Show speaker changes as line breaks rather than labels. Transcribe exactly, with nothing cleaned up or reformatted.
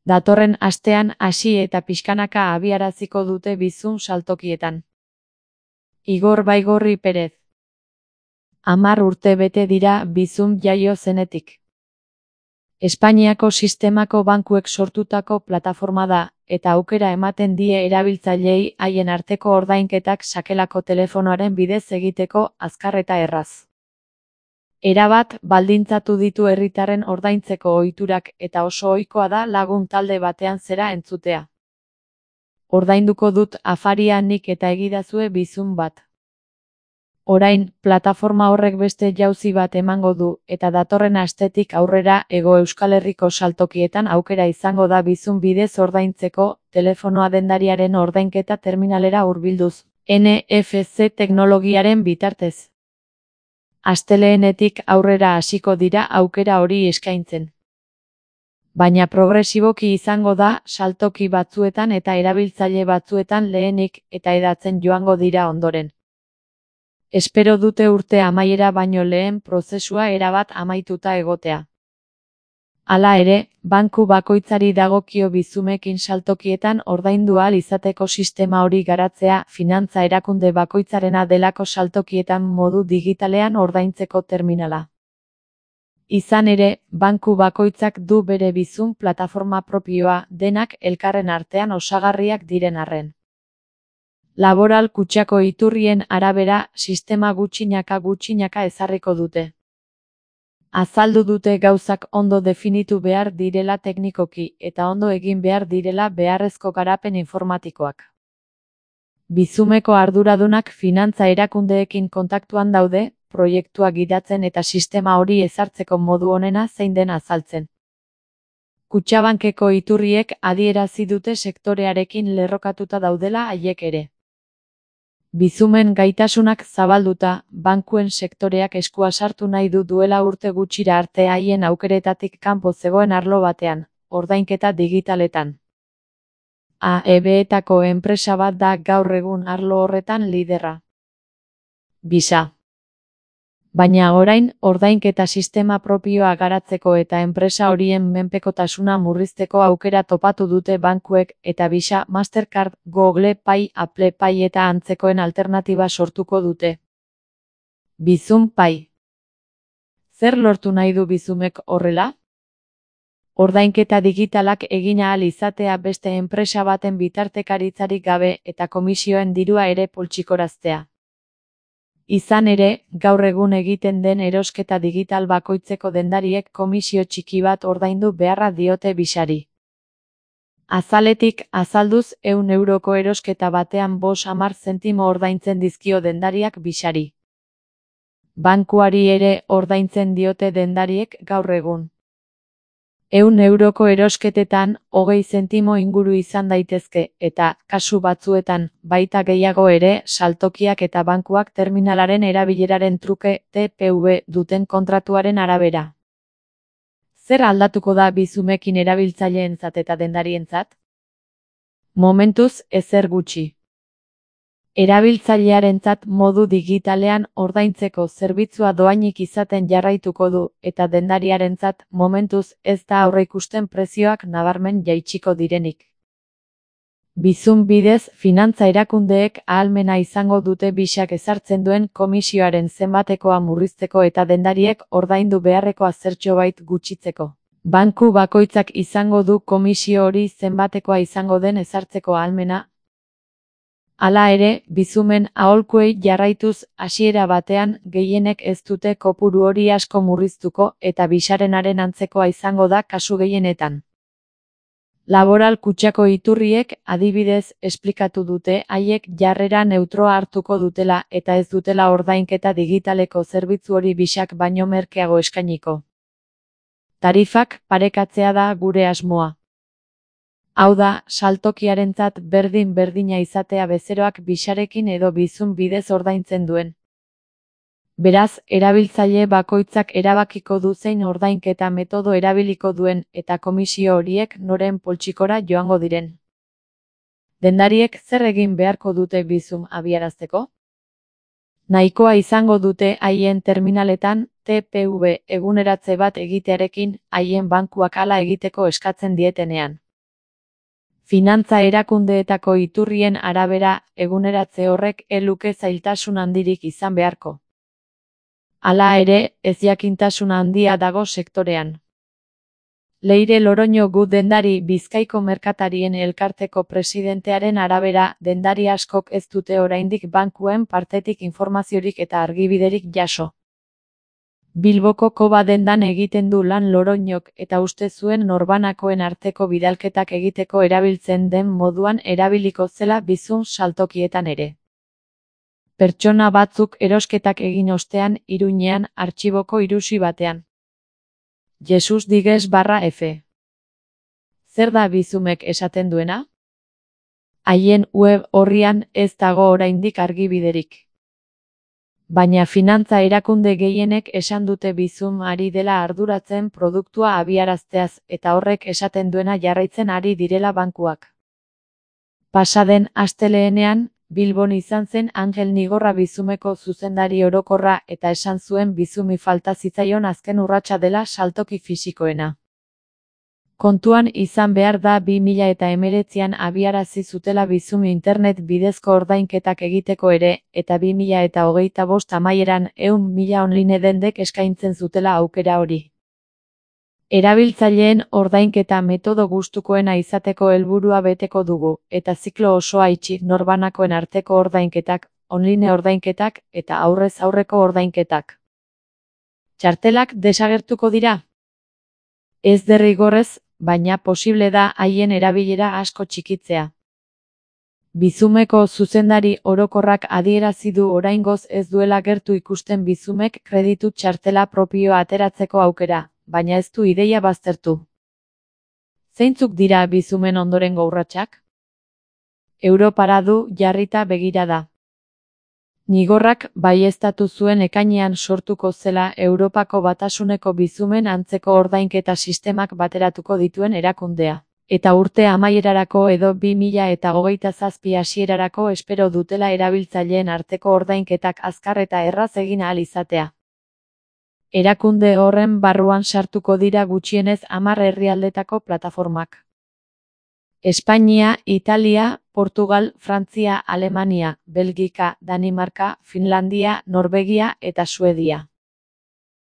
Datorren astean hasi eta pixkanaka abiaraziko dute bizum saltokietan. Igor Baigorri Perez. Hamar urte bete dira bizum jaio zenetik. Espainiako sistemako bankuek sortutako plataforma da, eta aukera ematen die erabiltzaileei haien arteko ordainketak sakelako telefonoaren bidez egiteko azkar eta erraz. Erabat baldintzatu ditu herritarren ordaintzeko ohiturak eta oso ohikoa da lagun talde batean zera entzutea. Ordainduko dut afaria nik eta egidazue bizum bat. Orain, plataforma horrek beste jauzi bat emango du, eta datorren astetik aurrera Hego Euskal Herriko saltokietan aukera izango da bizum bidez ordaintzeko, telefonoa dendariaren ordainketa terminalera hurbilduz, N F C teknologiaren bitartez. Astelehenetik aurrera hasiko dira aukera hori eskaintzen. Baina progresiboki izango da saltoki batzuetan eta erabiltzaile batzuetan lehenik eta hedatzen joango dira ondoren. Espero dute urte amaiera baino lehen prozesua erabat amaituta egotea. Hala ere, banku bakoitzari dagokio bizumekin saltokietan ordaindu ahal izateko sistema hori garatzea finantza erakunde bakoitzarena delako saltokietan modu digitalean ordaintzeko terminala. Izan ere, banku bakoitzak du bere bizum plataforma propioa, denak elkarren artean osagarriak diren arren. Laboral Kutxako iturrien arabera, sistema gutxinaka gutxinaka ezarriko dute. Azaldu dute gauzak ondo definitu behar direla teknikoki eta ondo egin behar direla beharrezko garapen informatikoak. Bizumeko arduradunak finantza erakundeekin kontaktuan daude, proiektua gidatzen eta sistema hori ezartzeko modu onena zein den azaltzen. Kutxabankeko iturriek adierazi dute sektorearekin lerrokatuta daudela haiek ere. Bizumen gaitasunak zabalduta, bankuen sektoreak eskua sartu nahi du duela urte gutxira arte haien aukeretatik kanpo zegoen arlo batean, ordainketa digitaletan. A E B-etako enpresa bat da gaur egun arlo horretan liderra. Visa. Baina orain, ordainketa sistema propioa garatzeko eta enpresa horien menpekotasuna murrizteko aukera topatu dute bankuek eta Visa, Mastercard, Google Pay, Apple Pay eta antzekoen alternatiba sortuko dute. Bizum Pay. Zer lortu nahi du bizumek horrela? Ordainketa digitalak egin ahal izatea beste enpresa baten bitartekaritzarik gabe eta komisioen dirua ere poltsikoraztea. Izan ere, gaur egun egiten den erosketa digital bakoitzeko dendariek komisio txiki bat ordaindu beharra diote Visari. Azaletik azalduz ehun euroko erosketa batean bost hamar zentimo ordaintzen dizkio dendariak Visari. Bankuari ere ordaintzen diote dendariek gaur egun. Ehun euroko erosketetan, hogei zentimo inguru izan daitezke, eta, kasu batzuetan, baita gehiago ere, saltokiak eta bankuak terminalaren erabileraren truke T P V duten kontratuaren arabera. Zer aldatuko da bizumekin erabiltzaileentzat eta dendarientzat? Momentuz, ezer gutxi. Erabiltzailearentzat modu digitalean ordaintzeko zerbitzua doainik izaten jarraituko du, eta dendariarentzat momentuz ez da aurreikusten prezioak nabarmen jaitsiko direnik. Bizum bidez, finantza erakundeek ahalmena izango dute Visak ezartzen duen komisioaren zenbatekoa murrizteko eta dendariek ordaindu beharrekoa zertxobait gutxitzeko. Banku bakoitzak izango du komisio hori zenbatekoa izango den ezartzeko ahalmena. Hala ere, bizumen aholkuei jarraituz hasiera batean gehienek ez dute kopuru hori asko murriztuko eta Visarenaren antzekoa izango da kasu gehienetan. Laboral Kutxako iturriek adibidez esplikatu dute haiek jarrera neutroa hartuko dutela eta ez dutela ordainketa digitaleko zerbitzu hori Visak baino merkeago eskainiko. Tarifak parekatzea da gure asmoa. Hau da, saltokiarentzat berdin-berdina izatea bezeroak Visarekin edo bizum bidez ordaintzen duen. Beraz, erabiltzaile bakoitzak erabakiko du zein ordainketa metodo erabiliko duen eta komisio horiek noren poltsikora joango diren. Dendariek zer egin beharko dute bizum abiarazteko? Nahikoa izango dute haien terminaletan T P V eguneratze bat egitearekin haien bankuak hala egiteko eskatzen dietenean. Finantza erakundeetako iturrien arabera, eguneratze horrek ez luke zailtasun handirik izan beharko. Hala ere, ezjakintasun handia dago sektorean. Leire Loroño gu dendari Bizkaiko Merkatarien Elkarteko presidentearen arabera, dendari askok ez dute oraindik bankuen partetik informaziorik eta argibiderik jaso. Bilboko Koba dendan egiten du lan Loroñok eta uste zuen norbanakoen arteko bidalketak egiteko erabiltzen den moduan erabiliko zela bizum saltokietan ere. Pertsona batzuk erosketak egin ostean, Iruñean, artxiboko irusi batean. Jesus Digues barra F. Zer da bizumek esaten duena? Haien web orrian ez dago oraindik argibiderik. Baina finantza erakunde gehienek esan dute bizum ari dela arduratzen produktua abiarazteaz eta horrek esaten duena jarraitzen ari direla bankuak. Pasaden astelehenean, Bilbon izan zen Angel Nigorra bizumeko zuzendari orokorra eta esan zuen bizumi falta zitzaion azken urratsa dela saltoki fisikoena. Kontuan izan behar da bi mila hemeretzian abiarazi zutela bizum internet bidezko ordainketak egiteko ere, eta bi mila hogeita bost amaieran ehun mila online dendek eskaintzen zutela aukera hori. Erabiltzaileen ordainketa metodo gustukoena izateko helburua beteko dugu, eta ziklo osoa itxi norbanakoen arteko ordainketak, online ordainketak eta aurrez aurreko ordainketak. Txartelak desagertuko dira? Ez derrigorrez, baina posible da haien erabilera asko txikitzea. Bizumeko zuzendari orokorrak adierazi du oraingoz ez duela gertu ikusten bizumek kreditu txartela propioa ateratzeko aukera, baina ez du ideia baztertu. Zeintzuk dira bizumen ondorengo urratsak? Europara du jarrita begirada. Nigorrak baieztatu zuen ekainean sortuko zela Europako Batasuneko bizumen antzeko ordainketa sistemak bateratuko dituen erakundea. Eta urte amaierarako edo bi mila hogeita zazpi hasierarako espero dutela erabiltzaileen arteko ordainketak azkar eta erraz egin ahal izatea. Erakunde horren barruan sartuko dira gutxienez hamar herrialdetako plataformak. Espainia, Italia, Portugal, Frantzia, Alemania, Belgika, Danimarka, Finlandia, Norvegia eta Suedia.